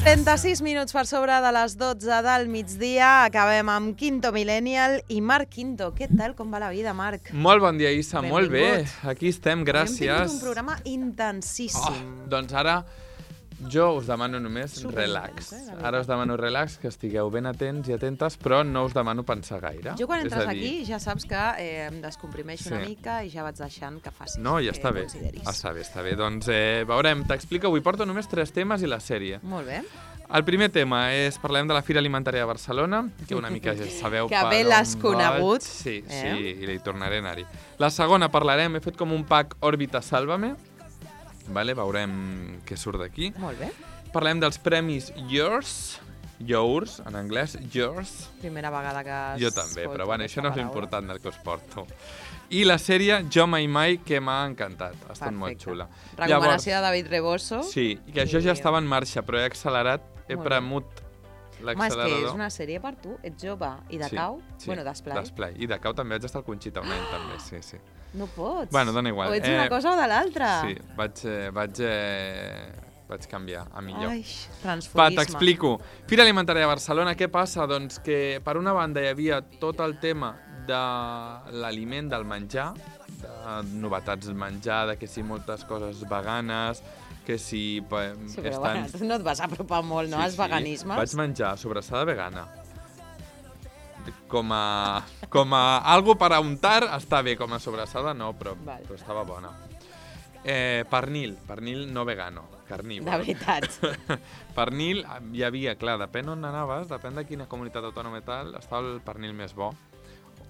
36 minuts per sobre de les 12 del migdia. Acabem amb Quinto Millennial i Marc Quinto. Què tal? Com va la vida, Marc? Molt bon dia, Issa. Benvingut. Molt bé. Aquí estem, gràcies. Hem tingut un programa intensíssim. Doncs ara jo us demano només Intens, relax. eh, Ara us demano relax, que estigueu ben atents i atentes, però no us demano pensar gaire. Jo quan És entres a dir, aquí ja saps que em descomprimeixo una mica i ja vaig deixant que facis No, ja el que està bé. consideris. Està bé, està bé. Doncs veurem, t'explico. Avui porto només 3 temes i la sèrie. Molt bé. El primer tema és, parlem de la Fira Alimentària de Barcelona, que una mica ja sabeu Que per bé on l'has conegut. vaig. Sí, i hi tornaré a anar-hi. La segona parlarem, he fet com un pack Òrbita Sálvame, vale? Veurem què surt d'aquí. Molt bé. Parlem dels premis Yours, en anglès, Yours. Primera vegada que Jo també, però bueno, això no és paraula. important del que us porto. I la sèrie Jo Mai Mai, que m'ha encantat, ha estat molt Perfecte. xula. Recomanació de David Reboso. Sí, i que això ja estava en marxa, però he accelerat, he Molt bé. premut Home, és l'accelerador. que és una sèrie per tu. Ets jove i de cau. Bueno, d'esplai. D'esplai. I de cau també vaig estar al Conxita un any, també, sí. No pots. Bueno, dona igual. O ets una cosa o de l'altra. Sí, vaig canviar a millor. Ai, Va, transfugisme. t'explico. Fira Alimentària de Barcelona, què passa? Doncs que per una banda hi havia tot el tema de l'aliment, del menjar, de novetats del menjar, de que si moltes coses veganes, que si Sí, però bueno, tu no et vas apropar molt, no, als veganismes? Vaig menjar sobrassada vegana. Com a algo per a untar està bé, com a sobrassada no, però estava bona. Pernil no vegano, carnívor. De veritat. Pernil, hi havia, clar, depèn on anaves, depèn de quina comunitat autònoma i tal, estava el pernil més bo.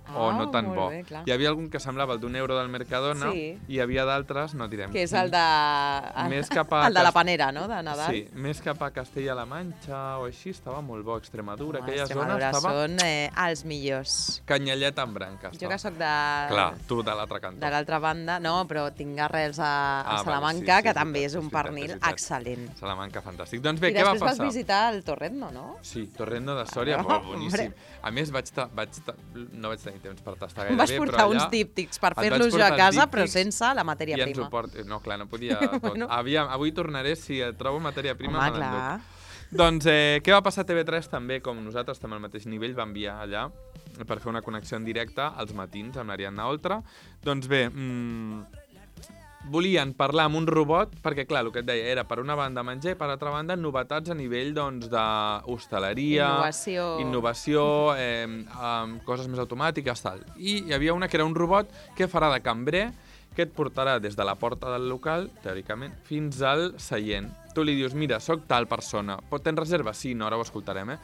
O no tan molt bo. bé, clar. Hi havia algun que semblava el d'€1 del Mercadona i hi havia d'altres, no direm. Que és el de... Més cap a el de la panera, no?, de Nadal. Sí, més cap a Castella-La Manxa o així, estava molt bo. Extremadura, aquella Extremadura zona estava... són els millors. Canyellet amb branca. Jo que sóc de... Clar, tu de l'altre cantó. De l'altra banda, no, però tinc arrels a Salamanca, vale, sí, que també és un pernil excel·lent. Salamanca, fantàstic. Doncs bé, què va passar? I després vas visitar el Torrendo, no? Sí, Torrendo de Sòria, molt boníssim. A més, no vaig tenir temps per tastar gaire. Vas portar uns díptics per fer-los jo a casa, però sense la matèria prima. No, clar, no podia tot. Avui tornaré, si trobo matèria prima, me n'enduc. Doncs què va passar a TV3 també, com nosaltres estem al mateix nivell, va enviar allà per fer una connexió en directe als matins amb l'Ariadna Oltra. Doncs bé, volien parlar amb un robot, perquè clar, el que et deia era per una banda menjar i per altra banda novetats a nivell d'hostaleria, innovació, coses més automàtiques, tal. I hi havia una que era un robot que farà de cambrer, que et portarà des de la porta del local, teòricament, fins al seient. Tu li dius, mira, soc tal persona, tens reserva? Sí, no, ara ho escoltarem,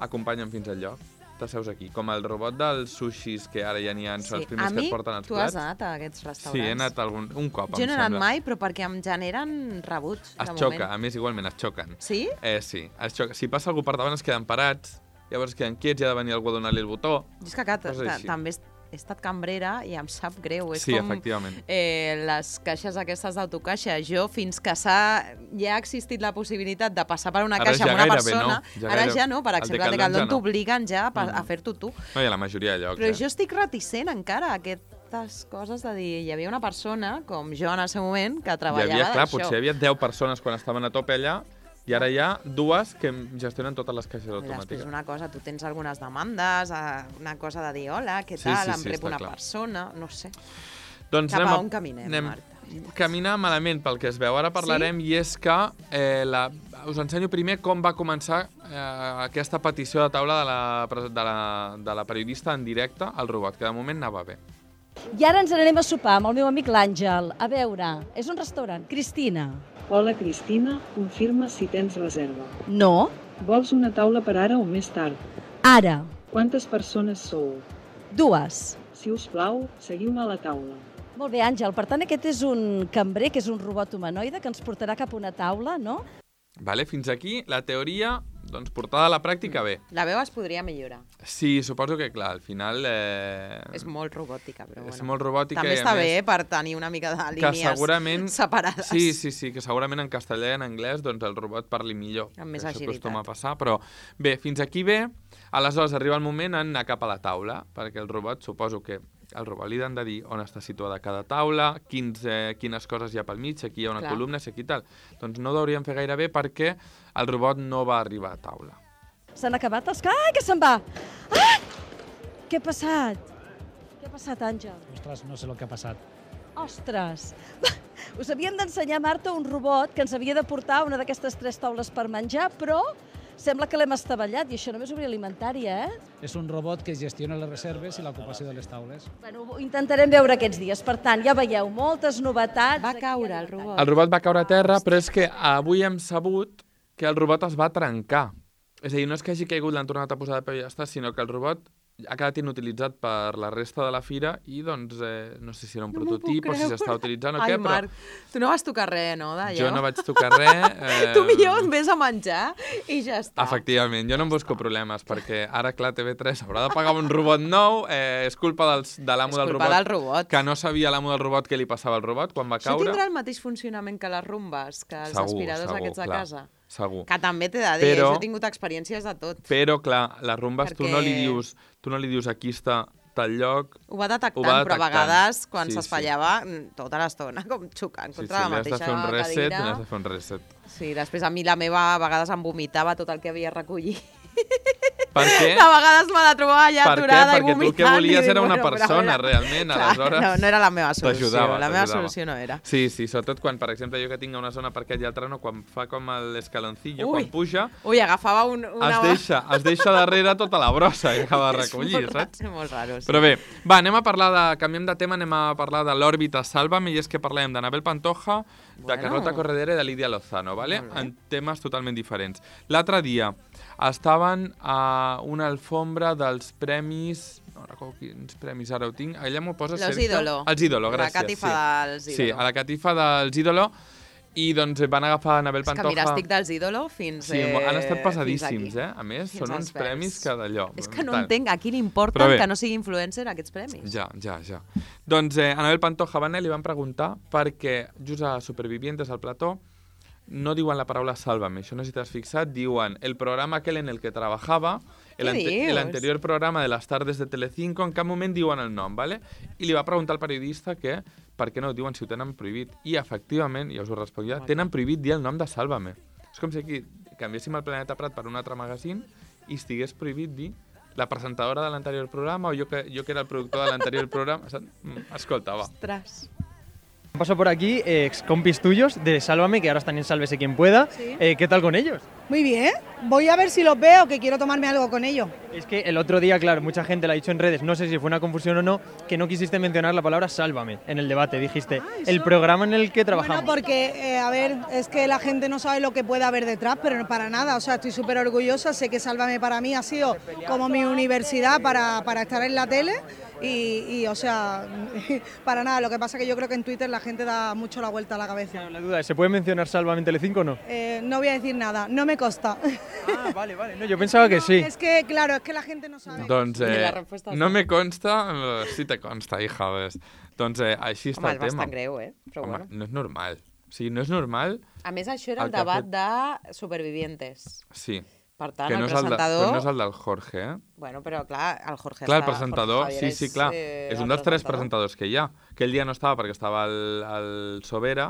Acompanya'm fins al lloc. T'asseus aquí, com el robot dels sushis, que ara ja n'hi ha, són els primers que et porten els plats. Tu has anat a aquests restaurants? Sí, he anat un cop, Jo no he anat mai, però perquè em generen rebuig, de moment. Es xoca, a més, igualment, es xoquen. Sí? Sí, es xoca. Si passa algú per davant es queden parats, llavors es queden quiets i ha de venir algú a donar-li el botó. És que també he estat cambrera i em sap greu. És com efectivament. Les caixes aquestes d'autocaixa. Jo, fins que ja ha existit la possibilitat de passar per una caixa amb una persona, ara ja no, per exemple, al Decathlon t'obliguen ja a fer-t'ho tu. No, hi ha la majoria de llocs. Però jo estic reticent encara a aquestes coses de dir, hi havia una persona, com jo en el seu moment, que treballava d'això. Potser hi havia 10 persones quan estaven a tope allà, i ara hi ha 2 que gestionen totes les caixes automàtiques. Després una cosa, tu tens algunes demandes, una cosa de dir, hola, què tal, em rep una persona, no sé. Doncs cap a on caminem, Marta? Caminar malament pel que es veu. Ara parlarem, i és que us ensenyo primer com va començar aquesta petició de taula de la periodista en directe al robot, que de moment anava bé. I ara ens n'anem a sopar amb el meu amic l'Àngel. A veure, és un restaurant. Cristina. Hola, Cristina. Confirma si tens reserva. No. Vols una taula per ara o més tard? Ara. Quantes persones sou? 2. Si us plau, seguiu-me a la taula. Molt bé, Àngel. Per tant, aquest és un cambrer, que és un robot humanoide, que ens portarà cap a una taula, no? Vale, fins aquí la teoria, doncs portada a la pràctica bé. La veu es podria millorar. Sí, suposo que, clar, al final... És molt robòtica, però bueno. És molt robòtica. També està bé per tenir una mica de línies separades. Sí, que segurament en castellà i en anglès doncs el robot parli millor. Amb més agilitat. Això acostuma a passar, però bé, fins aquí bé. Aleshores arriba el moment d'anar cap a la taula, perquè el robot suposo que al robot li han de dir on està situada cada taula, quines coses hi ha pel mig, aquí hi ha una columna, aquí tal. Doncs no ho hauríem fer gaire bé perquè el robot no va arribar a taula. S'han acabat els... Ah, que se'n va! Ah! Què ha passat? Què ha passat, Àngel? Ostres, no sé el que ha passat. Ostres! Us havien d'ensenyar, Marta, un robot que ens havia de portar una d'aquestes 3 taules per menjar, però sembla que l'hem estavellat, i això només obrir alimentària, És un robot que gestiona les reserves i l'ocupació de les taules. Bueno, ho intentarem veure aquests dies. Per tant, ja veieu, moltes novetats. Va caure el robot. El robot va caure a terra, però és que avui hem sabut que el robot es va trencar. És a dir, no és que hagi caigut, l'han tornat a posar de peu i ja està, sinó que el robot ha quedat inutilitzat per la resta de la fira i, doncs, no sé si era un prototip o si s'està utilitzant o què, però... Ai, Marc, tu no vas tocar res, no, d'allò? Jo no vaig tocar res. Tu millor et ves a menjar i ja està. Efectivament, jo no em busco problemes, perquè ara, clar, TV3 haurà de pagar un robot nou, és culpa de l'amo del robot, que no sabia l'amo del robot què li passava al robot quan va caure. Això tindrà el mateix funcionament que les rumbes, que els aspiradors aquests de casa? Segur. Que també t'he de dir, jo he tingut experiències de tot. Però, clar, les rumbes tu no li dius aquí està tal lloc... Ho va detectant, però a vegades, quan s'espatllava, tota l'estona, com xocant contra la mateixa cadira. N'has de fer un reset. Sí, després a mi la meva a vegades em vomitava tot el que havia recollit. Per què? De vegades me la trobava allà aturada i vomitant. Perquè tu el que volies era una persona, realment, aleshores... No era la meva solució, la meva solució no era. Sí, sobretot quan, per exemple, jo que tinc una zona per aquell i altra no, quan fa com l'escaloncillo, quan puja... Ui, agafava una... Es deixa darrere tota la brossa que acaba de recollir, saps? És molt raro, sí. Però bé, va, canviem de tema, anem a parlar de l'òrbita Sálvame, i és que parlem d'Anabel Pantoja, de Carlota Corredera i de Lídia Lozano, ¿vale? En temes totalment diferents. L'altre dia estaven a una alfombra dels premis... No recordo quins premis ara ho tinc. Allà m'ho posa Los Ídolo. Els Ídolo, gràcies. La catifa dels Ídolo. Sí, a la catifa dels Ídolo. I doncs van agafar Anabel Pantoja... És que mira, estic dels Ídolo fins Sí, han estat passadíssims, A més, són uns premis que d'allò... És que no entenc a qui li importa que no sigui influencer aquests premis. Ja. Doncs Anabel Pantoja va anar i li van preguntar perquè just a Supervivientes al plató no diuen la paraula Sálvame, això no sé si t'has fixat, diuen el programa aquel en el que trabajaba, el anterior programa de las tardes de Telecinco, en cap moment diuen el nom, ¿vale? I li va preguntar al periodista que per què no ho diuen si ho tenen prohibit. I efectivament, ja us ho responc ja, tenen prohibit dir el nom de Sálvame. És com si aquí canviéssim el Planeta Prat per un altre magazín i estigués prohibit dir la presentadora de l'anterior programa o jo que era el productor de l'anterior programa. Escolta, va. Ostres. Han pasado por aquí ex compis tuyos de Sálvame, que ahora están en Sálvese quien pueda. Sí. ¿Qué tal con ellos? Muy bien. Voy a ver si los veo, que quiero tomarme algo con ellos. Es que el otro día, claro, mucha gente lo ha dicho en redes, no sé si fue una confusión o no, que no quisiste mencionar la palabra Sálvame en el debate. Dijiste, el programa en el que trabajamos. Bueno, porque, a ver, es que la gente no sabe lo que puede haber detrás, pero no para nada. O sea, estoy súper orgullosa. Sé que Sálvame para mí ha sido como mi universidad para estar en la tele. Y, o sea, para nada. Lo que pasa es que yo creo que en Twitter la gente da mucho la vuelta a la cabeza. Claro, la duda es, ¿se puede mencionar Sálvame en Telecinco o no? No voy a decir nada, no me consta. Ah, vale. No, yo pensaba que sí. Es que, claro, es que la gente no sabe. Doncs no me consta, sí te consta, hija. Ves. Doncs així està el tema. Home, és bastant greu, Però home, no és normal. O sigui, no és normal... A més, això era el debat de Supervivientes. Sí. Per tant, el presentador... no és el del Jorge, Bueno, però clar, el Jorge clar, el presentador, sí, clar. És un dels 3 presentadors que hi ha. Aquell dia no estava perquè estava el Sobera,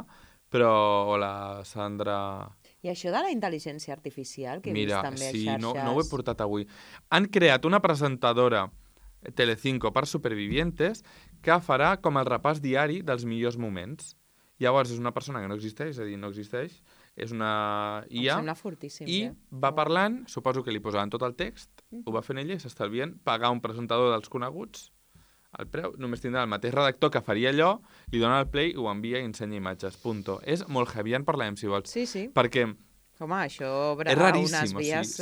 però la Sandra... I això de la intel·ligència artificial que he vist també a xarxes... Mira, no ho he portat avui. Han creat una presentadora Telecinco per Supervivientes que farà com el repàs diari dels millors moments. Llavors, és una persona que no existeix, és a dir, no existeix, és una IA, em sembla fortíssim, i va parlant, suposo que li posaven tot el text, ho va fent ella i s'estalvien pagar un presentador dels coneguts, el preu, només tindrà el mateix redactor que faria allò, li dona el play, ho envia i ensenya imatges, punto. És molt heavy, en parlem, si vols. Sí. Perquè... Home, això obre unes vies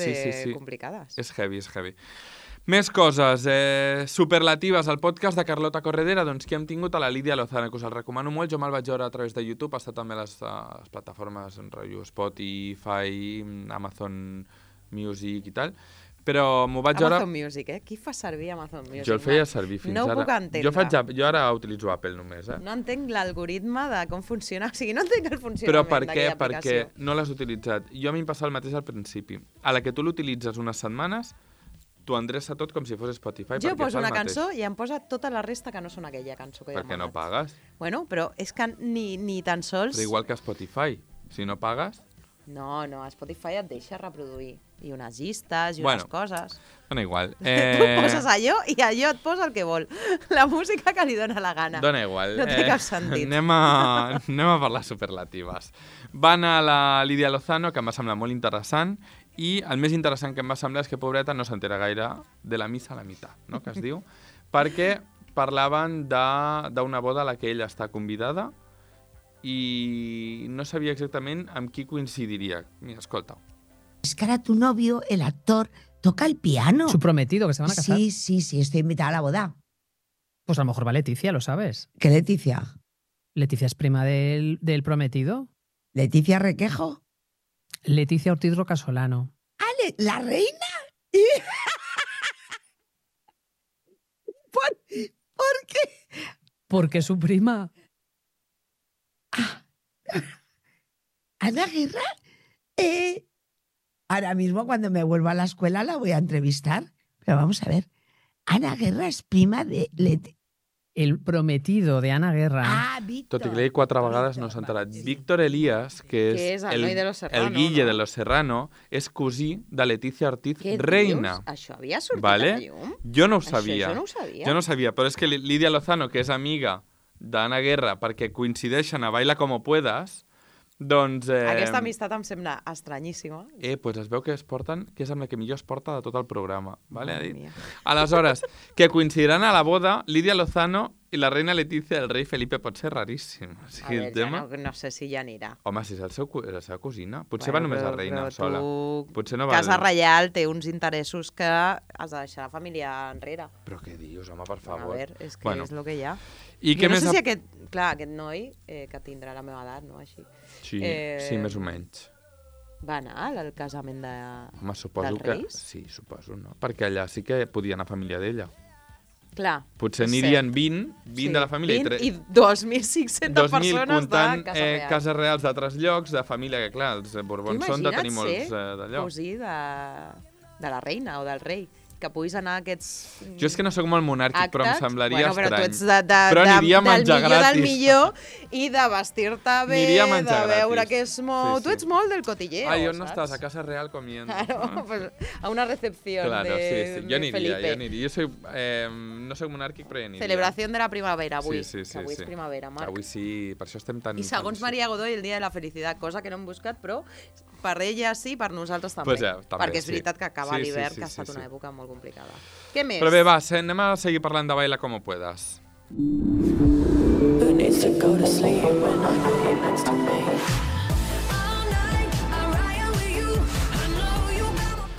complicades. És heavy. Més coses, superlatives al podcast de Carlota Corredera, doncs que hem tingut a la Lídia Lozano, que us el recomano molt, jo me'l vaig veure a través de YouTube, està també a les plataformes Spotify, Amazon Music i tal, però m'ho vaig veure... Amazon Music, Qui fa servir Amazon Music? Jo el feia servir fins ara. No ho puc entendre. Jo ara utilitzo Apple només, No entenc l'algoritme de com funciona, o sigui, no entenc el funcionament d'aquella aplicació. Perquè no l'has utilitzat. Jo a mi em passa el mateix al principi. A la que tu l'utilitzes unes setmanes, t'ho endreça tot com si fos Spotify. Jo poso una cançó i em posa tota la resta que no són aquella cançó que ja m'ha anat. Per què no pagues? Bueno, però és que ni tan sols... Però igual que Spotify, si no pagues... No, a Spotify et deixa reproduir. I unes llistes i unes coses. Dona igual. Tu poses allò i allò et posa el que vol. La música que li dona la gana. Dona igual. No té cap sentit. Anem a parlar superlatives. Va anar la Lídia Lozano, que em va semblar molt interessant, i el més interessant que em va semblar és que, pobreta, no s'entera gaire de la missa a la meitat, no?, que es diu, perquè parlaven d'una boda a la que ella està convidada y no sabía exactamente amb qui coincidiría. Mira, escolta. Es que ahora tu novio, el actor, toca el piano. Su prometido, que se van a casar. Sí, estoy invitada a la boda. Pues a lo mejor va Leticia, ¿lo sabes? ¿Qué Leticia? ¿Leticia es prima del prometido? ¿Leticia Requejo? Leticia Ortiz Rocasolano. Ah, ¿la reina? ¿Por qué? Porque es su prima. ¿Ana Guerra? Ahora mismo cuando me vuelva a la escuela la voy a entrevistar. Pero vamos a ver. Ana Guerra es prima de Leti. El prometido de Ana Guerra. Ah, Víctor. Tot i que l'he dit 4 vegades, no s'ha enterat. Víctor Elías, que és el noi de Los Serrano, el Guille de Los Serrano, és cosí de Leticia Ortiz, reina. Dius? Això havia sortit a llum? Jo no ho sabia. Això jo no ho sabia. Jo no ho sabia, però és que Lídia Lozano, que és amiga d'Ana Guerra, perquè coincideixen a Baila Como Puedas, doncs... Aquesta amistat em sembla estranyíssima. Pues es veu que es porten, que és amb la que millor es porta de tot el programa. Vale? Aleshores, que coincidiran a la boda Lídia Lozano i la reina Leticia del rei Felipe. Pot ser raríssim. O sigui, a veure, ja no sé si ja anirà. Home, si és la seva cosina. Potser va només la reina sola. Potser no va... Casa Reial té uns interessos que has de deixar la família enrere. Però què dius, home, per favor. A veure, és que és el que hi ha. I jo no sé si aquest noi, que tindrà la meva edat, no? Així. Sí, més o menys. Va anar al casament Home, suposo que... Sí, suposo, no? Perquè allà sí que podia anar família d'ella. Clar. Potser anirien 20 de la família. 20 i 2.500 persones de Casa Real. Cases reals d'altres llocs, de família, que clar, els Borbons són de tenir molts d'allò. Cosí de la reina o del rei. Que puguis anar a aquests Jo és que no sóc molt monàrquic, actes, però em semblaria estrany. Però tu ets però aniria a menjar gratis. Del millor i de vestir-te bé, de veure que es mou... Tu ets molt del cotilleo, saps? On no estàs? A Casa Real comiendo. Claro, pues a una recepción de Felipe. Jo soy, no soc monàrquic, però ja aniria. Celebració de la primavera, avui. Sí. Avui és primavera, Marc. Avui sí, per això estem tan... I segons Maria Godoy, el dia de la felicitat, cosa que no hem buscat, però per ella sí, per nosaltres també. Perquè és veritat que acaba l'hivern, que ha estat una època molt complicada. Què més? Però bé, va, anem a seguir parlant de Baila Como Puedas.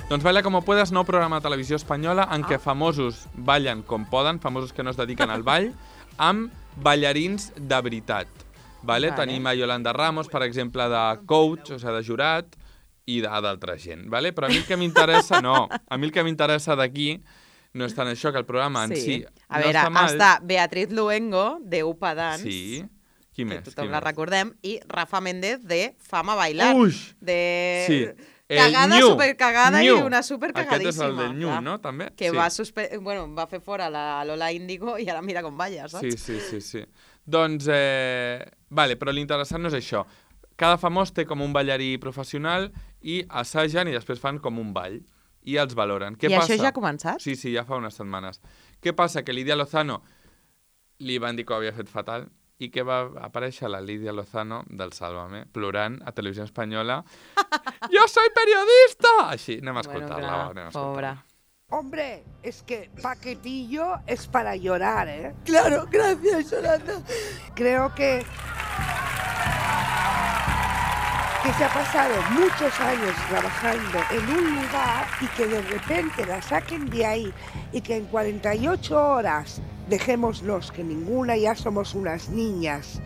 Doncs Baila Como Puedas, nou programa de televisió espanyola en què famosos ballen com poden, famosos que no es dediquen al ball, amb ballarins de veritat. Vale? Tenim a Yolanda Ramos, per exemple, de coach, o sigui, de jurat, i d'altra gent. Vale? Però a mi el que m'interessa, a mi el que m'interessa d'aquí no és tant això, que el programa en si a veure, està Beatriz Luengo, de Upa Dance. Sí. Qui més? Que tothom la recordem. I Rafa Méndez, de Fama Bailar. De cagada, supercagada i una supercagadíssima. Aquest és el del New, no? També. Que va fer fora la Lola Índigo i ara mira com balla, saps? Sí. Doncs, vale, però l'interessant no és això. Cada famós té com un ballarí professional i assagen i després fan com un ball. I els valoren. Què passa? Això ja ha començat? Sí, ja fa unes setmanes. Què passa? Que Lídia Lozano li van dir que ho havia fet fatal i que va aparèixer la Lídia Lozano del Sálvame plorant a Televisió Espanyola «Jo soy periodista!» Així, anem a escoltar-la. Pobra. Hombre, es que paquetillo es para llorar, ¿eh? Claro, gracias, Yolanda. Creo que se ha pasado muchos años trabajando en un lugar y que de repente la saquen de ahí y que en 48 horas, dejémoslos que ninguna, ya somos unas niñas,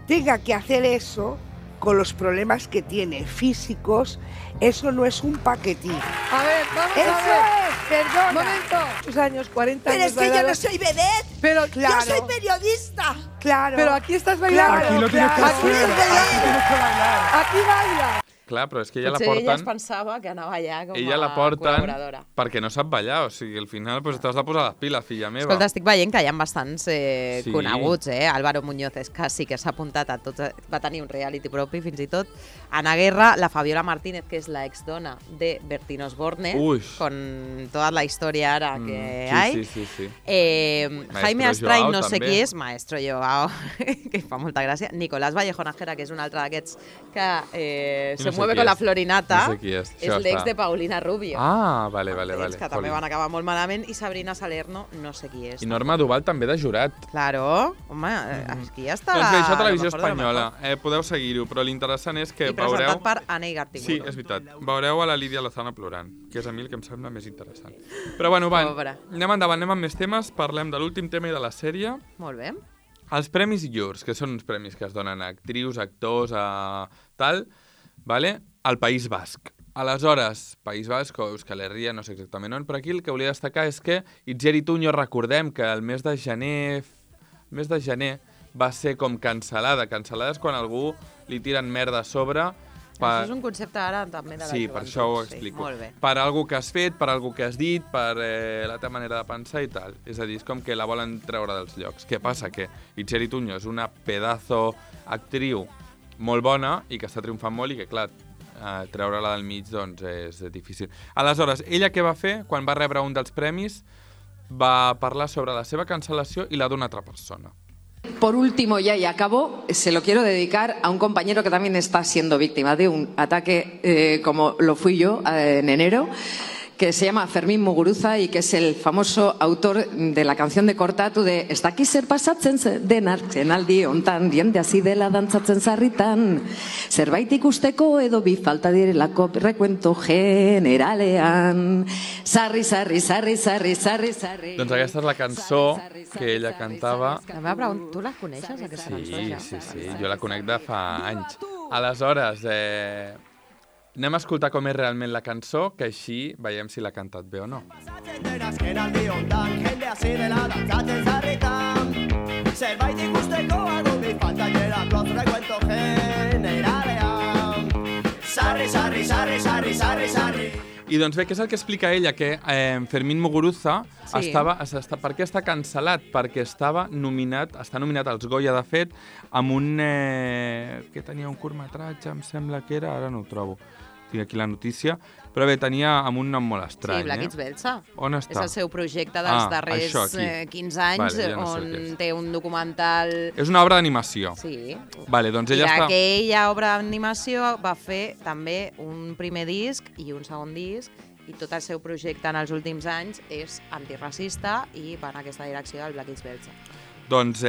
tenga que hacer eso con los problemas que tiene físicos, eso no es un paquetín. A ver, vamos eso a ver. Perdona. Un momento. Tus años, 40 años. Pero es que yo no soy vedette. Pero claro. Yo soy periodista. Claro. Pero aquí estás bailando. Aquí lo tienes que hacer. Aquí baila. Clar, però és que ella la porten... porten... Potser ella es pensava que anava allà com ella la porten perquè no sap ballar, o sigui, al final pues, t'has de posar les piles, filla meva. Escolta, estic veient que hi ha bastants coneguts, Álvaro Muñoz és que sí que s'ha apuntat a tots, va tenir un reality propi fins i tot. Ana Guerra, la Fabiola Martínez, que és la exdona de Bertín Osborne, con toda la història ara que hay. Sí. Jaime Astray, no sé qui és, Maestro Joao, que fa molta gràcia. Nicolás Vallejo Nájera, que és un altre d'aquests que se mueve con la florinata, no sé qui és l'ex de Paulina Rubio. Ah, vale. Que també van acabar molt malament, i Sabrina Salerno, no sé qui és. I Norma Duval també de jurat. Claro, home, aquí ja està. Doncs bé, això Televisió Espanyola. Podeu seguir-ho, però l'interessant és que veureu... I presentat per Anna Igartiburu. Sí, és veritat. Veureu a la Lídia Lozano plorant, que és a mi el que em sembla més interessant. Però bueno, anem endavant, anem amb més temes, parlem de l'últim tema i de la sèrie. Molt bé. Els Premis Llurs, que són uns premis que es donen a actrius, actors, a tal, vale? Al País Basc. Aleshores, País Basc o Euskal Herria, no sé exactament on, però aquí el que volia destacar és que Itziar Ituño, recordem que el mes de gener va ser com cancel·lada. Cancel·lada és quan algú li tiren merda a sobre. Això és un concepte ara també de la joventut. Sí, per això ho explico. Molt bé. Per algú que has fet, per algú que has dit, per la teva manera de pensar i tal. És a dir, és com que la volen treure dels llocs. Què passa? Que Itziar Ituño és una pedazo actriu molt bona i que està triomfant molt i que, clar, treure-la del mig doncs és difícil. Aleshores, ella què va fer? Quan va rebre un dels premis, va parlar sobre la seva cancel·lació i la d'una altra persona. Por último, ya y acabo, se lo quiero dedicar a un compañero que también está siendo víctima de un ataque como lo fui yo en enero, que se llama Fermín Muguruza y que es el famoso autor de la canción de Kortatu de "Ez daki zer pasatzen denak zenaldi hontan, diende hasi dela dantzatzen sarritan, zerbait ikusteko edo bi falta direlako recuento generalean, sarri, sarri, sarri, sarri, sarri, sarri". Doncs aquesta és la cançó que ella cantava. Tu la coneixes, aquesta cançó? Sí, jo la conec de fa anys. Aleshores, anem a escoltar com és realment la cançó, que així veiem si l'ha cantat bé o no. I doncs bé, què és el que explica ella? Que Fermín Muguruza per què està cancel·lat? Perquè està nominat als Goya, de fet, amb un... que tenia un curtmetratge, em sembla que era, ara no ho trobo. Tinc aquí la notícia, però bé, tenia amb un nom molt estrany. Sí, Black It's Belsa. On està? És el seu projecte dels darrers 15 anys, on té un documental... És una obra d'animació. Sí. Vale, doncs ella està... I aquella obra d'animació va fer també un primer disc i un segon disc, i tot el seu projecte en els últims anys és antiracista i va en aquesta direcció del Black It's Belsa. Doncs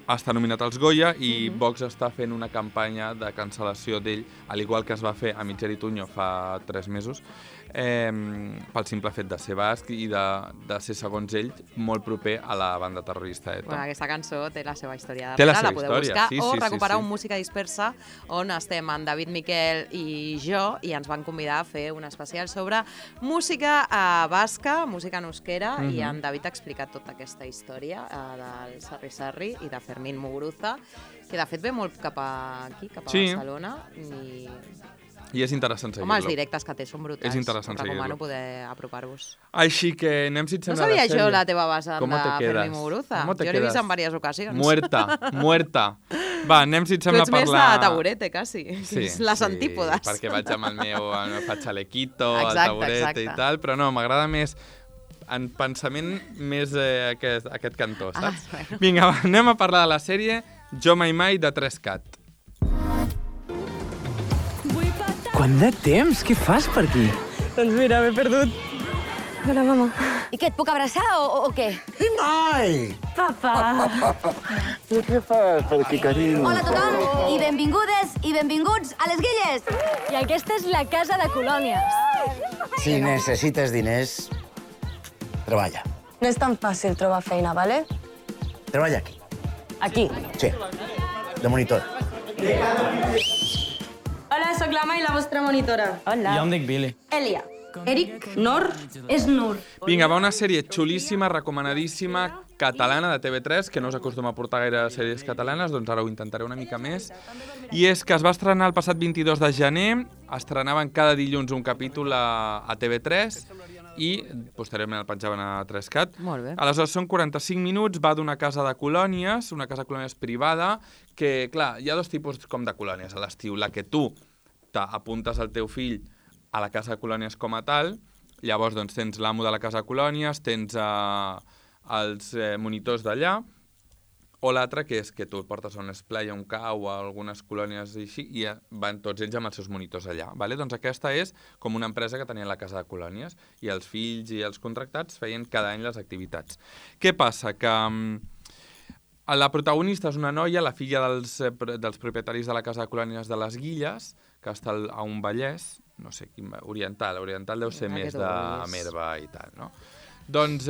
està nominat als Goya i Vox està fent una campanya de cancel·lació d'ell, al igual que es va fer a Itziar Ituño fa 3 mesos, pel simple fet de ser basc i de ser, segons ell, molt proper a la banda terrorista ETA. Bueno, aquesta cançó té la seva història darrere, la podeu buscar, sí, o recuperar un Música Dispersa, on estem en David Miquel i jo, i ens van convidar a fer un especial sobre música basca, música en euskera, i en David ha explicat tota aquesta història del Sarri Sarri i de Fermín Muguruza, que de fet ve molt cap aquí, cap a Barcelona, i és interessant seguir-lo. Home, els directes que té són brutals. És interessant seguir-lo. Recomano poder apropar-vos. Així que anem, si et sembla, no sabia jo la teva base de Fermín Muguruza. Jo l'he vist en diverses ocasions. Muerta. Va, anem, si et sembla, a parlar... Tu ets més de taburete, quasi. Sí, les antípodes. Perquè vaig amb el meu chalequito, el taburete i tal, però no, m'agrada més en pensament més aquest cantó, saps? Vinga, anem a parlar de la sèrie Jo Mai Mai de 3CAT. Quant de temps? Què fas per aquí? Doncs mira, m'he perdut. Hola, mama. I què, et puc abraçar o què? Mai! Papa! I què fas per aquí, carinyo? Hola a tothom, i benvingudes i benvinguts a les Guilles. I aquesta és la casa de colònies. Si necessites diners, treballa. No és tan fàcil trobar feina, vale? Treballa aquí. Aquí? Sí, de monitor. Hola, sóc l'Ama i la vostra monitora. Hola. Jo em dic Billy. Elia. Eric, Nor, és Nur. Vinga, va una sèrie xulíssima, recomanadíssima, catalana de TV3, que no us acostuma a portar gaire sèries catalanes, doncs ara ho intentaré una mica més. I és que es va estrenar el passat 22 de gener, estrenaven cada dilluns un capítol a TV3 i posteriorment el penjaven a 3Cat. Molt bé. Aleshores són 45 minuts, va d'una casa de colònies, una casa de colònies privada, que, clar, hi ha dos tipus com de colònies a l'estiu. La que tu apuntes el teu fill a la casa de colònies com a tal, llavors doncs, tens l'amo de la casa de colònies, tens els monitors d'allà, o l'altre que és que tu el portes a un esplai, a un cau, a algunes colònies així, i van tots ells amb els seus monitors allà. Vale? Doncs aquesta és com una empresa que tenia la casa de colònies, i els fills i els contractats feien cada any les activitats. Què passa? Que la protagonista és una noia, la filla dels propietaris de la casa de colònies de les Guilles, que està a un Vallès, no sé quin, oriental deu ser més de Merva i tal, no? Doncs,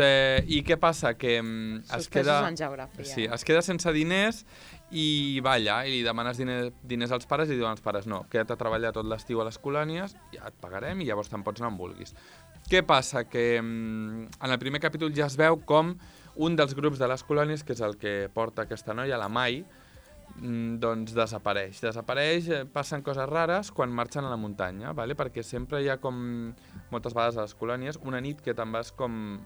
i què passa? Que es queda sense diners i va allà i li demanes diners als pares i diuen als pares no, queda't a treballar tot l'estiu a les colònies, ja et pagarem i llavors te'n pots anar on vulguis. Què passa? Que en el primer capítol ja es veu com un dels grups de les colònies, que és el que porta aquesta noia, la Mai, doncs desapareix. Passen coses rares quan marxen a la muntanya, ¿vale? Perquè sempre hi ha com, moltes vegades a les colònies, una nit que te'n vas com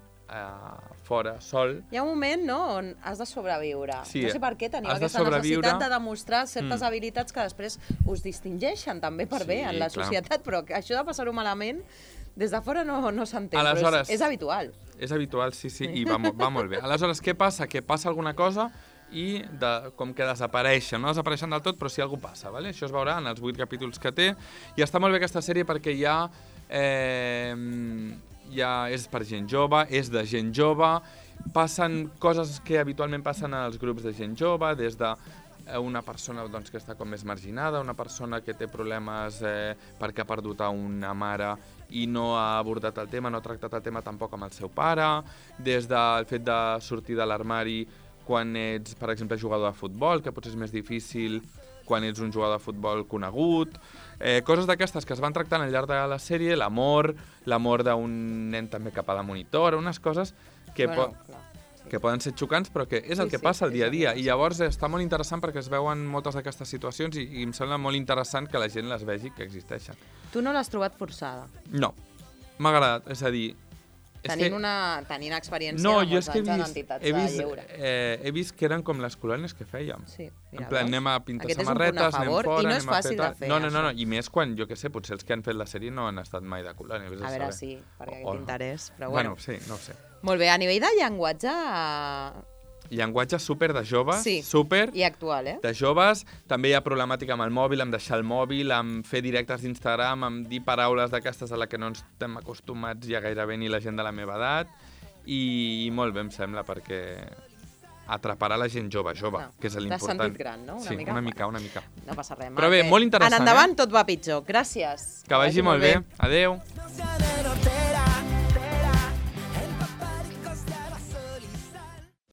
fora, sol. Hi ha un moment, no?, on has de sobreviure. Sí, no sé per què teniu aquesta necessitat de demostrar certes habilitats que després us distingeixen també per bé en la societat, però això de passar-ho malament, des de fora no s'entén, però és habitual. És habitual, sí, i va molt bé. Aleshores, què passa? Que passa alguna cosa i com que desapareixen, no desapareixen del tot, però sí que alguna cosa passa, ¿vale? Això es veurà en els 8 capítols que té, i està molt bé aquesta sèrie perquè ja és per gent jove, és de gent jove, passen coses que habitualment passen als grups de gent jove, des de una persona que està com més marginada, una persona que té problemes perquè ha perdut a una mare i no ha abordat el tema, no ha tractat el tema tampoc amb el seu pare, des del fet de sortir de l'armari quan ets, per exemple, jugador de futbol, que potser és més difícil quan ets un jugador de futbol conegut, coses d'aquestes que es van tractant al llarg de la sèrie, l'amor d'un nen també cap a la monitora, unes coses que poden ser xocants, però que és el que passa el dia a dia. I llavors està molt interessant perquè es veuen moltes d'aquestes situacions i em sembla molt interessant que la gent les vegi que existeixen. Tu no l'has trobat forçada? No, m'ha agradat, és a dir... Tenint experiència de molts anys en entitats de lleure. He vist que eren com les colònies que fèiem. Sí, en plan, anem a pintar samarretes, anem fora, i no és fàcil de fer. No, i més quan, jo què sé, potser els que han fet la sèrie no han estat mai de colònia. A veure, sí, perquè aquest interès, però bueno. Sí, no ho sé. Molt bé, a nivell de llenguatge... Llenguatge súper de joves, i actual, de joves. També hi ha problemàtica amb el mòbil, amb deixar el mòbil, amb fer directes d'Instagram, amb dir paraules d'aquestes a les que no ens estem acostumats ja gairebé ni la gent de la meva edat. I molt bé, em sembla, perquè atraparà la gent jove, que és l'important. T'has sentit gran, no? Una mica. No passa res. Però bé, molt interessant. En endavant tot va pitjor. Gràcies. Que vagi molt bé. Adéu.